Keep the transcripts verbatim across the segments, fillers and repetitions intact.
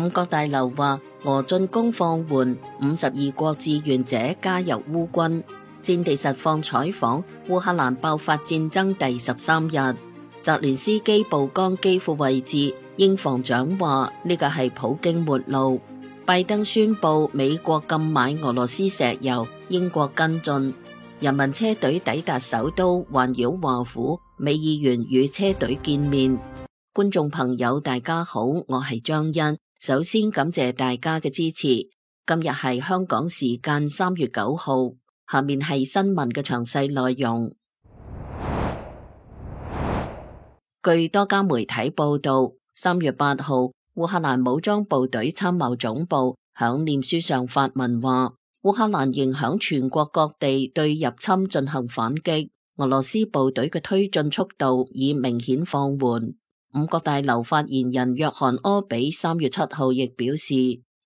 五角大樓話，俄進攻放緩，五十二國志願者加入烏軍。戰地實況採訪，烏克蘭爆發戰爭第十三日，澤連斯基曝光基輔位置，英防長話呢個係普京末路。拜登宣布美國禁買俄羅斯石油，英國跟進。人民車隊抵達首都，環繞華府，美議員與車隊見面。觀眾朋友大家好，我係張欣，首先感謝大家嘅支持。今日係香港時間三月九號，下面係新聞嘅詳細內容。據多家媒體報道，三月八號，烏克蘭武裝部隊參謀總部響臉書上發文話，烏克蘭仍響全國各地對入侵進行反擊，俄羅斯部隊嘅推進速度已明顯放緩。五角大樓發言人約翰柯比三月七號亦表示，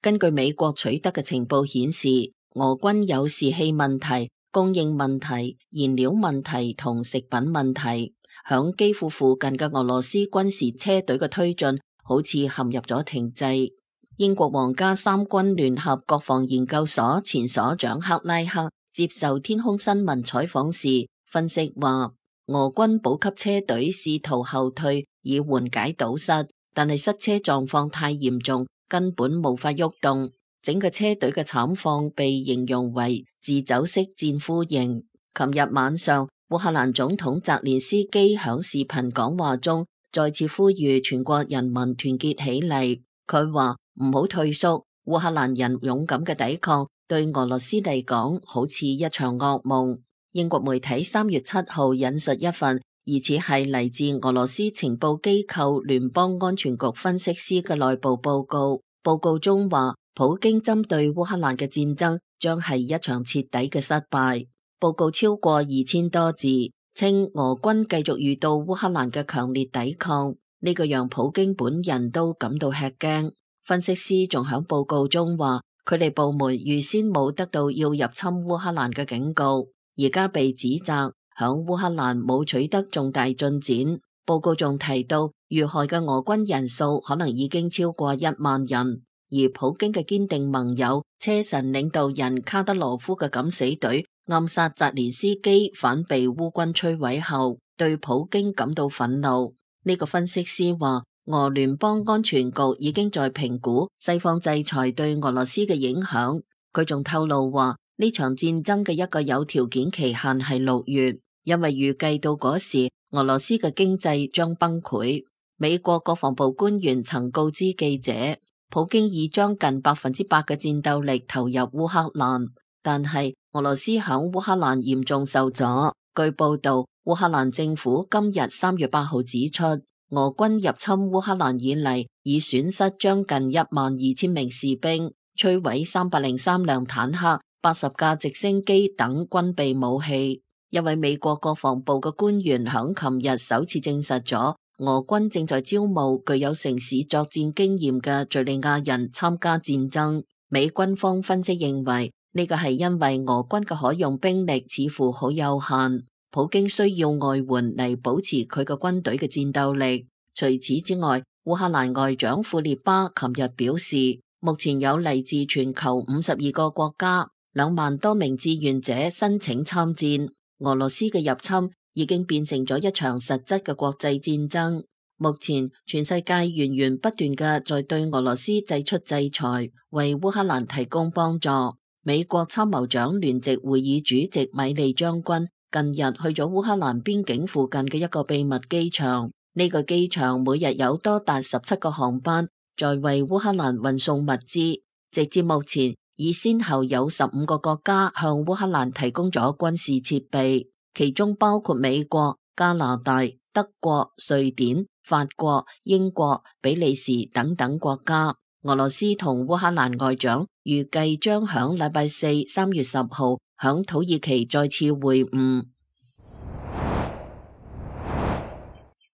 根據美國取得嘅情報顯示，俄軍有士氣問題、供應問題、燃料問題同食品問題。響基輔附近嘅俄羅斯軍事車隊嘅推進好似陷入咗停滯。英國皇家三軍聯合國防研究所前所長克拉克接受天空新聞採訪時分析話，俄軍補給車隊試圖後退以緩解堵塞，但係塞車狀況太嚴重，根本無法喐動。整個車隊嘅慘況被形容為自走式戰俘營。琴日晚上，烏克蘭總統澤連斯基響視頻講話中再次呼籲全國人民團結起嚟。佢話唔好退縮，烏克蘭人勇敢嘅抵抗對俄羅斯嚟講好似一場噩夢。英國媒體三月七號引述一份疑似係嚟自俄羅斯情報機構聯邦安全局分析師嘅內部報告。報告中話，普京針對烏克蘭嘅戰爭將係一場徹底嘅失敗。報告超過二千多字，稱俄軍繼續遇到烏克蘭嘅強烈抵抗，呢個讓普京本人都感到吃驚。分析師仲喺報告中話，佢哋部門預先冇得到要入侵烏克蘭嘅警告，而家被指責響烏克蘭冇取得重大進展。報告仲提到，遇害嘅俄軍人數可能已經超過一萬人，而普京嘅堅定盟友車臣領導人卡德羅夫嘅敢死隊暗殺澤連斯基反被烏軍摧毀後，對普京感到憤怒。呢、這個分析師話，俄聯邦安全局已經在評估西方制裁對俄羅斯嘅影響。佢仲透露話，呢場戰爭嘅一個有條件期限係六月，因為預計到嗰時俄羅斯嘅經濟將崩潰。美國國防部官員曾告知記者，普京已將近百分之百嘅戰鬥力投入烏克蘭，但係俄羅斯響烏克蘭嚴重受阻。據報道，烏克蘭政府今日三月八號指出，俄軍入侵烏克蘭以嚟，已損失將近一萬二千名士兵，摧毀三百零三輛坦克、八十架直升機等軍備武器。一位美國國防部嘅官員響琴日首次證實咗，俄軍正在招募具有城市作戰經驗嘅敘利亞人參加戰爭。美軍方分析認為，呢個係因為俄軍嘅可用兵力似乎好有限，普京需要外援嚟保持佢嘅軍隊嘅戰鬥力。除此之外，烏克蘭外長庫列巴琴日表示，目前有嚟自全球五十二個國家兩萬多名志願者申請參戰。俄羅斯嘅入侵已經變成咗一場實質嘅國際戰爭。目前全世界源源不斷嘅在對俄羅斯祭出制裁，為烏克蘭提供幫助。美國參謀長聯席會議主席米利將軍近日去咗烏克蘭邊境附近嘅一個秘密機場，呢個機場每日有多達十七個航班在為烏克蘭運送物資。直至目前，已先後有十五個國家向烏克蘭提供咗軍事設備，其中包括美國、加拿大、德國、瑞典、法國、英國、比利時等等國家。俄羅斯同烏克蘭外長預計將響禮拜四三月十號響土耳其再次會晤。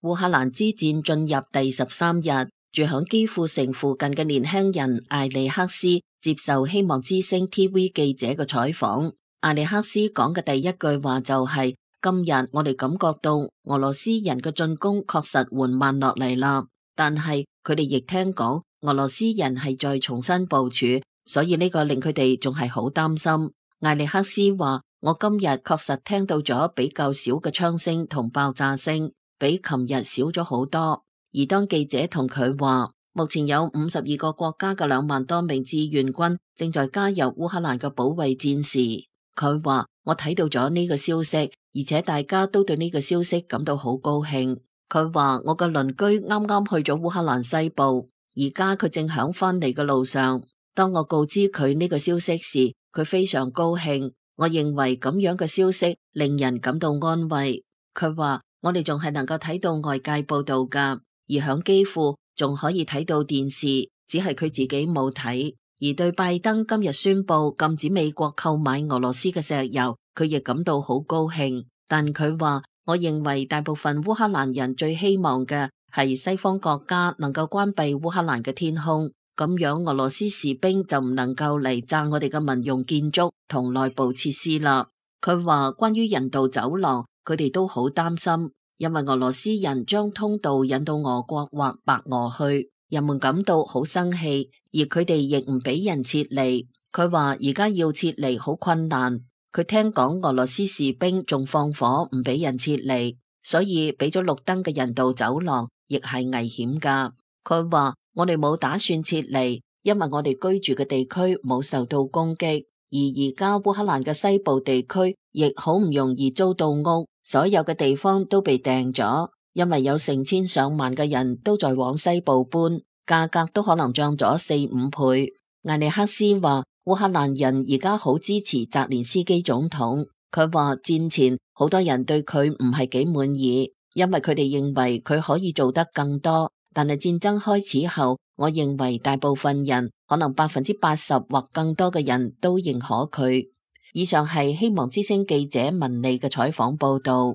烏克蘭之戰進入第十三日，住響基輔城附近嘅年輕人艾利克斯接受希望之聲 T V 記者嘅採訪。艾利克斯講嘅第一句話就係、是：今日我哋感覺到俄羅斯人嘅進攻確實緩慢落嚟啦，但係佢哋亦聽講俄羅斯人係再重新部署，所以呢個令佢哋仲係好擔心。艾利克斯話：我今日確實聽到咗比較少嘅槍聲同爆炸聲，比琴日少咗好多。而當記者同佢話，目前有五十二個國家嘅兩萬多名志願軍正在加入烏克蘭嘅保衛戰時，佢話：我睇到咗呢個消息，而且大家都對呢個消息感到好高興。佢話：我嘅鄰居啱啱去咗烏克蘭西部，而家佢正響返嚟嘅路上。當我告知佢呢個消息時，佢非常高興。我認為咁樣嘅消息令人感到安慰。佢話：我哋仲係能夠睇到外界報道㗎，而響基輔仲可以睇到電視，只係佢自己冇睇。而對拜登今日宣布禁止美國購買俄羅斯嘅石油，佢亦感到好高興。但佢話：我認為大部分烏克蘭人最希望嘅係西方國家能夠關閉烏克蘭嘅天空，咁樣俄羅斯士兵就唔能夠嚟炸我哋嘅民用建築同內部設施啦。佢話關於人道走廊，佢哋都好擔心，因為俄羅斯人將通道引到俄國或白俄去，人們感到好生氣，而佢哋亦唔俾人撤離。佢話而家要撤離好困難，佢聽講俄羅斯士兵仲放火唔俾人撤離，所以俾咗綠燈嘅人道走廊亦係危險噶。佢話我哋冇打算撤離，因為我哋居住嘅地區冇受到攻擊，而而家烏克蘭嘅西部地區亦好唔容易租到屋，所有嘅地方都被訂咗，因為有成千上萬嘅人都在往西部搬，價格都可能漲咗四五倍。艾利克斯話烏克蘭人而家好支持澤連斯基總統，佢話戰前好多人對佢唔係幾滿意，因為佢哋認為佢可以做得更多。但係戰爭開始後，我認為大部分人，可能百分之八十或更多嘅人都認可佢。以上係希望之聲記者文莉嘅採訪報道。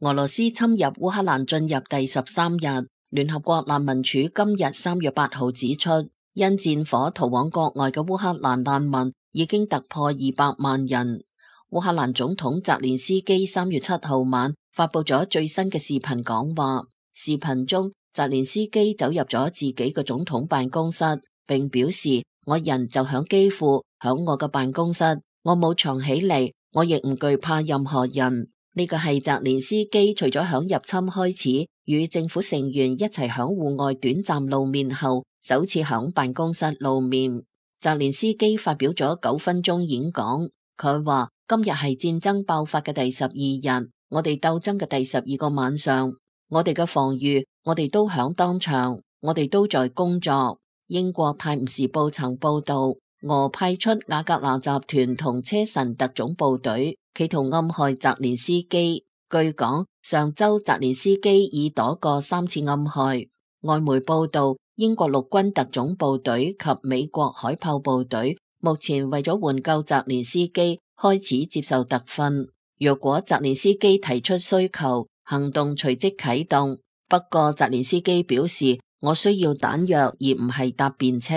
俄羅斯侵入烏克蘭進入第十三日，聯合國難民署今日三月八號指出，因戰火逃往國外嘅烏克蘭難民已經突破二百萬人。烏克蘭總統澤連斯基三月七號晚發佈咗最新嘅視頻講話，視頻中澤連斯基走入咗自己嘅總統辦公室，並表示：我人就響基輔，響我嘅辦公室，我冇藏起嚟，我亦唔懼怕任何人。呢個係澤連斯基除咗響入侵開始與政府成員一齊響戶外短暫露面後，首次響辦公室露面。澤連斯基發表咗九分鐘演講，佢話：今日係戰爭爆發嘅第十二日，我哋鬥爭嘅第十二個晚上，我哋嘅防禦，我哋都響當場，我哋都在工作。英國泰晤士報曾報道，俄派出瓦格納集團同車臣特種部隊，企圖暗害澤連斯基。據講，上周澤連斯基已躲過三次暗害。外媒報道，英國陸軍特種部隊及美國海豹部隊目前為咗援救澤連斯基，開始接受特訓。若果澤連斯基提出需求，行動隨即啟動。不過澤連斯基表示，我需要彈藥而唔係搭便車。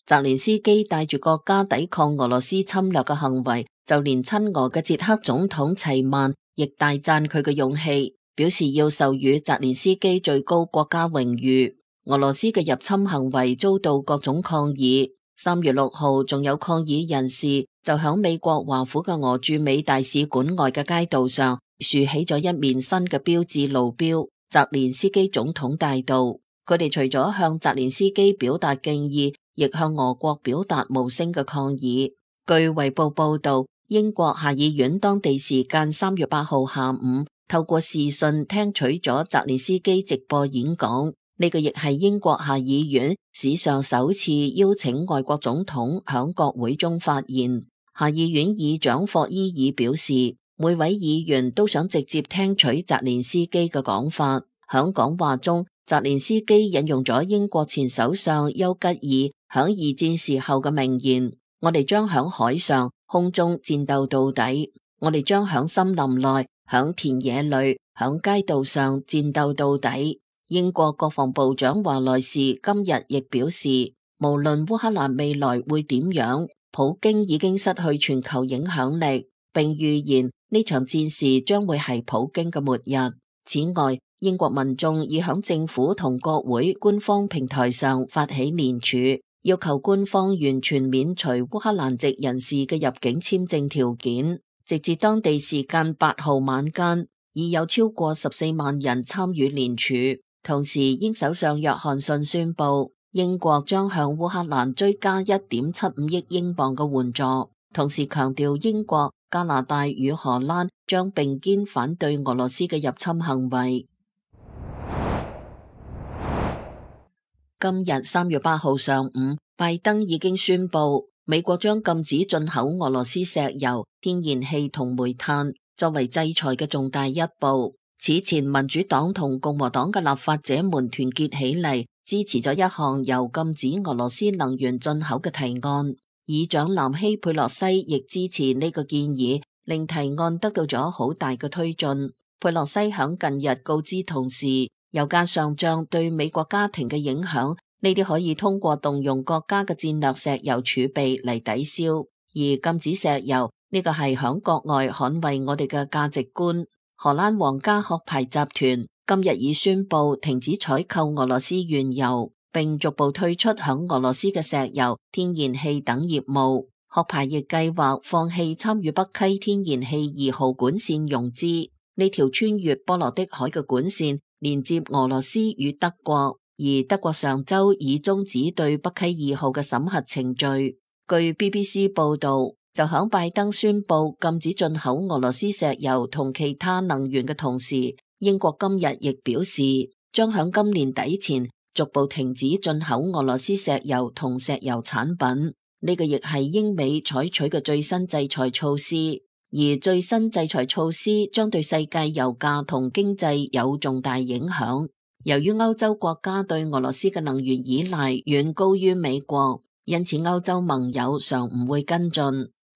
澤連斯基帶住國家抵抗俄羅斯侵略嘅行為，就連親俄嘅捷克總統齊曼亦大讚佢嘅勇氣，表示要授予澤連斯基最高國家榮譽。俄羅斯嘅入侵行為遭到各種抗議。三月六號仲有抗議人士就響美國華府嘅俄駐美大使館外嘅街道上豎起咗一面新嘅標誌路標，澤連斯基總統大道。佢哋除咗向澤連斯基表達敬意，亦向俄國表達無聲嘅抗議。據衛報報道，英國下議院當地時間三月八號下午透過視訊聽取咗澤連斯基直播演講。呢個亦係英國下議院史上首次邀請外國總統響國會中發言。下議院議長霍伊爾表示，每位議員都想直接聽取澤連斯基嘅講法。響講話中，澤連斯基引用咗英國前首相丘吉爾響二戰時候嘅名言：我哋將響海上、空中戰鬥到底，我哋將響森林內、響田野裏、響街道上戰鬥到底。英國國防部長華萊士今日亦表示，無論烏克蘭未來會點樣，普京已經失去全球影響力，並預言呢場戰事將會係普京嘅末日。此外，英國民眾已響政府同國會官方平台上發起聯署，要求官方完全免除烏克蘭籍人士嘅入境簽證條件。直至當地時間八號晚間，已有超過十四萬人參與聯署。同時，英首相約翰遜宣布，英國將向烏克蘭追加一點七五億英鎊嘅援助，同時強調英國、加拿大與荷蘭將並肩反對俄羅斯嘅入侵行為。今日三月八號上午，拜登已經宣布，美國將禁止進口俄羅斯石油、天然氣同煤炭，作為制裁嘅重大一步。此前，民主黨同共和黨嘅立法者們團結起嚟，支持咗一項由禁止俄羅斯能源進口嘅提案。議長南希佩洛西亦支持呢個建議，令提案得到咗好大嘅推進。佩洛西響近日告知同事，油價上漲對美國家庭嘅影響，呢啲可以通過動用國家嘅戰略石油儲備嚟抵消，而禁止石油呢個係響國外捍衛我哋嘅價值觀。荷蘭皇家殼牌集團今日已宣布停止採購俄羅斯原油，並逐步退出響俄羅斯嘅石油、天然氣等業務。殼牌亦計劃放棄參與北溪天然氣二號管線融資。呢條穿越波羅的海嘅管線連接俄羅斯與德國，而德國上周已終止對北溪二號嘅審核程序。據 B B C 報道，就響拜登宣布禁止進口俄羅斯石油同其他能源嘅同時，英國今日亦表示將響今年底前逐步停止進口俄羅斯石油同石油產品。呢個亦係英美採取嘅最新制裁措施，而最新制裁措施將對世界油價同經濟有重大影響。由於歐洲國家對俄羅斯嘅能源依賴遠高於美國，因此歐洲盟友尚唔會跟進。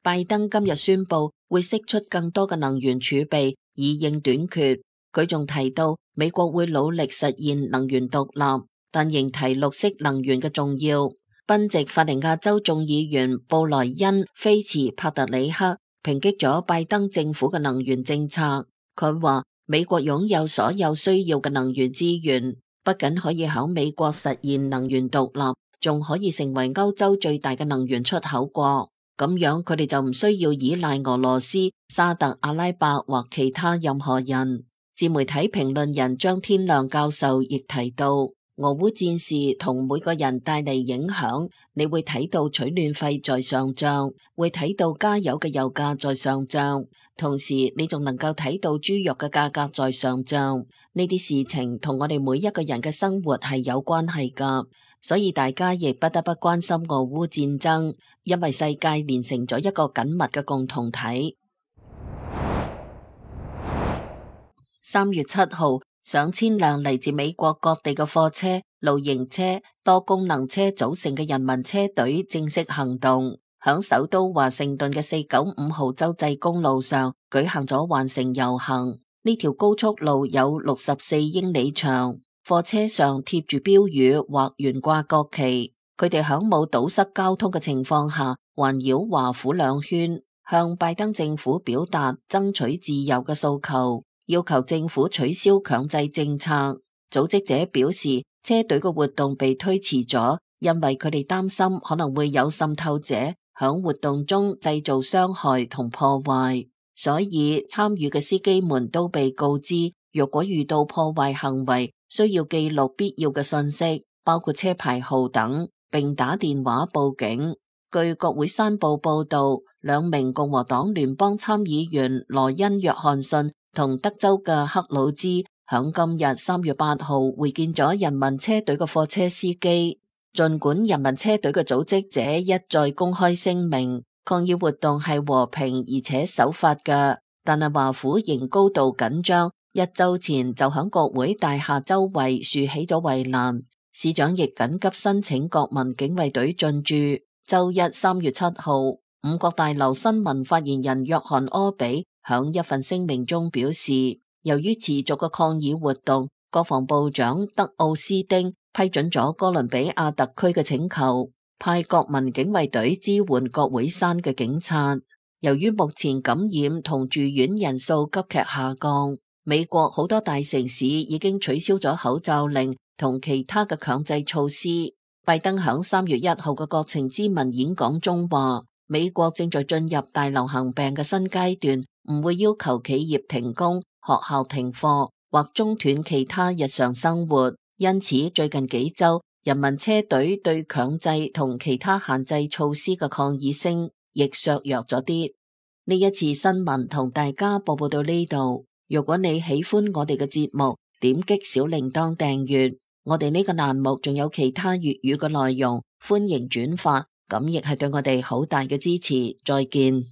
拜登今日宣布會釋出更多嘅能源儲備以應短缺。佢仲提到美國會努力實現能源獨立，但仍提綠色能源嘅重要。賓夕法尼亞州眾議員布萊恩·菲茨帕特里克抨擊咗拜登政府嘅能源政策。佢話美國擁有所有需要嘅能源資源，不僅可以響美國實現能源獨立，仲可以成為歐洲最大嘅能源出口國。咁樣佢哋就唔需要依賴俄羅斯、沙特阿拉伯或其他任何人。自媒體評論人張天亮教授亦提到，俄烏戰事同每個人帶嚟影響，你會睇到取暖費在上漲，會睇到加油嘅油價在上漲，同時你仲能夠睇到豬肉嘅價格在上漲。呢啲事情同我哋每一個人嘅生活係有關係㗎。所以大家亦不得不關心俄烏戰爭，因為世界連成咗一個緊密嘅共同體。三月七號，上千輛嚟自美國各地嘅貨車、露營車、多功能車組成嘅人民車隊正式行動，響首都華盛頓嘅四九五號州際公路上舉行咗環城遊行。呢條高速路有六十四英里長。貨車上貼住標語或懸掛國旗，佢哋響冇堵塞交通嘅情況下環繞華府兩圈，向拜登政府表達爭取自由嘅訴求，要求政府取消強制政策。組織者表示，車隊嘅活動被推遲咗，因為佢哋擔心可能會有滲透者響活動中製造傷害同破壞，所以參與嘅司機們都被告知，若果遇到破壞行為，需要記錄必要嘅信息，包括車牌號等，並打電話報警。據國會山報報道，兩名共和黨聯邦參議員羅恩·約翰遜同德州嘅克魯茲響今日三月八號會見咗人民車隊嘅貨車司機。儘管人民車隊嘅組織者一再公開聲明，抗議活動係和平而且守法嘅，但係華府仍高度緊張。一周前就響國會大廈周圍豎起咗圍欄，市長亦緊急申請國民警衛隊進駐。周一三月七號，五角大樓新聞發言人約翰柯比響一份聲明中表示，由於持續嘅抗議活動，國防部長德奧斯丁批准咗哥倫比亞特區嘅請求，派國民警衛隊支援國會山嘅警察。由於目前感染同住院人數急劇下降，美國好多大城市已經取消咗口罩令同其他嘅強制措施。拜登響三月一號嘅國情咨文演講中話，美國正在進入大流行病嘅新階段，唔會要求企業停工、學校停課或中斷其他日常生活。因此，最近幾週人民車隊對強制同其他限制措施嘅抗議聲亦削弱咗啲。呢一次新聞同大家播報到呢度。如果你喜歡我哋嘅節目，點擊小鈴鐺訂閱。我哋呢個欄目仲有其他粵語嘅內容，歡迎轉發，咁亦係對我哋好大嘅支持。再見。